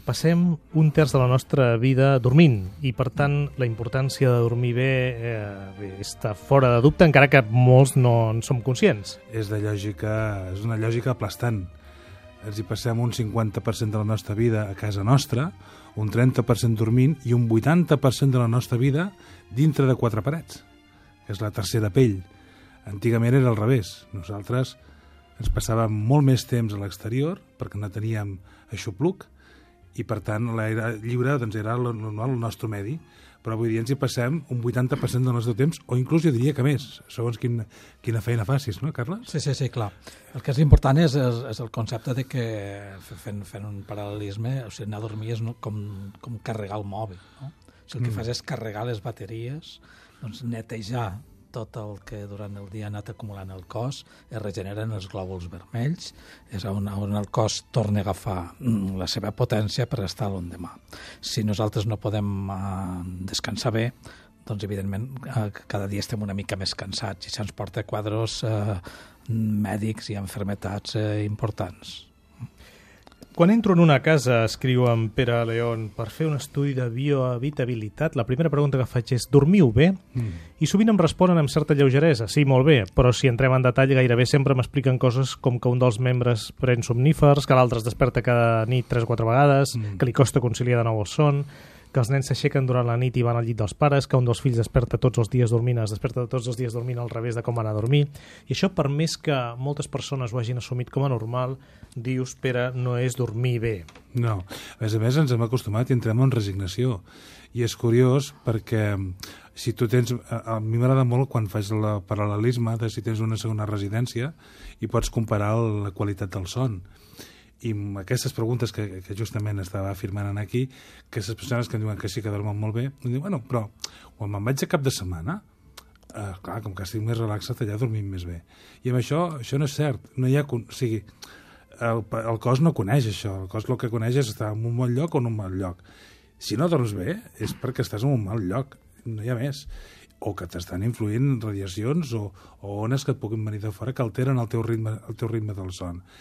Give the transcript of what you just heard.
passem un terç de la nostra vida dormint i, per tant, la importància de dormir bé està fora de dubte, encara que molts no en som conscients. És una lògica aplastant. Ens hi passem un 50% de la nostra vida a casa nostra, un 30% dormint i un 80% de la nostra vida dintre de quatre parets, que és la tercera pell. Antigament era al revés. Nosaltres ens passàvem molt més temps a l'exterior perquè no teníem aixopluc i, per tant, l'aire lliure doncs, era el normal, el nostre medi. Però avui dia ens hi passem un 80% del nostre temps, o inclús jo diria que més, segons quina feina facis, no, Carles? Sí, clar. El que és important és el concepte de que, fent un paral·lelisme, o sigui, anar a dormir és com carregar el mòbil, no? Si el que fas és carregar les bateries, doncs netejar tot el que durant el dia ha anat acumulant el cos, es regeneren els glòbuls vermells, és on el cos torna a agafar la seva potència per estar l'endemà. Si nosaltres no podem descansar bé, doncs evidentment cada dia estem una mica més cansats i això ens porta a quadres mèdics i malalties importants. Quan entro en una casa, escriu en Pere León, per fer un estudi de biohabitabilitat, la primera pregunta que faig és: dormiu bé? I sovint em responen amb certa lleugeresa: sí, molt bé, però si entrem en detall gairebé sempre m'expliquen coses com que un dels membres pren somnífers, que l'altre es desperta cada nit 3 o 4 vegades, que li costa conciliar de nou el son, que els nens s'aixequen durant la nit i van al llit dels pares, que un dels fills es desperta tots els dies dormint al revés de com van a dormir. I això, per més que moltes persones ho hagin assumit com a normal, dius, Pere, no és dormir bé. No. A més, ens hem acostumat i entrem en resignació. I és curiós perquè si tu tens... A mi m'agrada molt quan faig el paral·lelisme de si tens una segona residència i pots comparar la qualitat del son. I aquestes preguntes que justament estava afirmant aquí, que aquestes persones que em diuen que sí que dormen molt bé, em diuen, bueno, però quan me'n vaig a cap de setmana, clar, com que estic més relaxat, allà dormim més bé. I amb això no és cert. No hi ha, o sigui, el cos no coneix això. El cos el que coneix és estar en un bon lloc o en un mal lloc. Si no dorms bé, és perquè estàs en un mal lloc. No hi ha més. O que t'estan influint radiacions o ones que et puguin venir de fora que alteren el teu ritme del son.